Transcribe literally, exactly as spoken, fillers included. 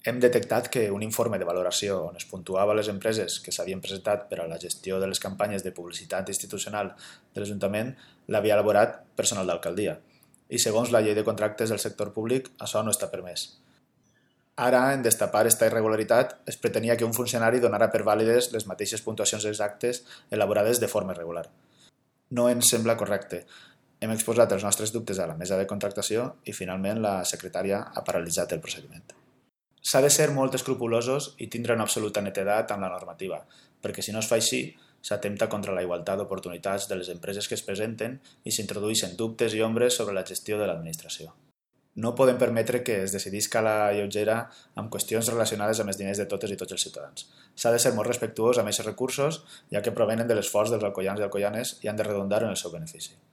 Hem detectat que un informe de valoració on es puntuava les empreses que s'havien presentat per a la gestió de les campanyes de publicitat institucional de l'Ajuntament l'havia elaborat personal d'alcaldia i segons la llei de contractes del sector públic això no està permès. Ara, en destapar esta irregularitat, es pretenia que un funcionari donara per vàlides les mateixes puntuacions exactes elaborades de forma irregular. No ens sembla correcte. Hem exposat els nostres dubtes a la mesa de contractació i finalment la secretària ha paralitzat el procediment. S'ha de ser molt escrupulosos i tindre una absoluta netedat amb la normativa, perquè si no es fa així, s'atempta contra la igualtat d'oportunitats de les empreses que es presenten i s'introdueixen dubtes i ombres sobre la gestió de l'administració. No podem permetre que es decidisca a la lleugera amb qüestions relacionades amb els diners de totes i tots els ciutadans. S'ha de ser molt respectuós amb aquests recursos, ja que provenen de l'esforç dels alcoians i alcoianes i han de redundar en el seu benefici.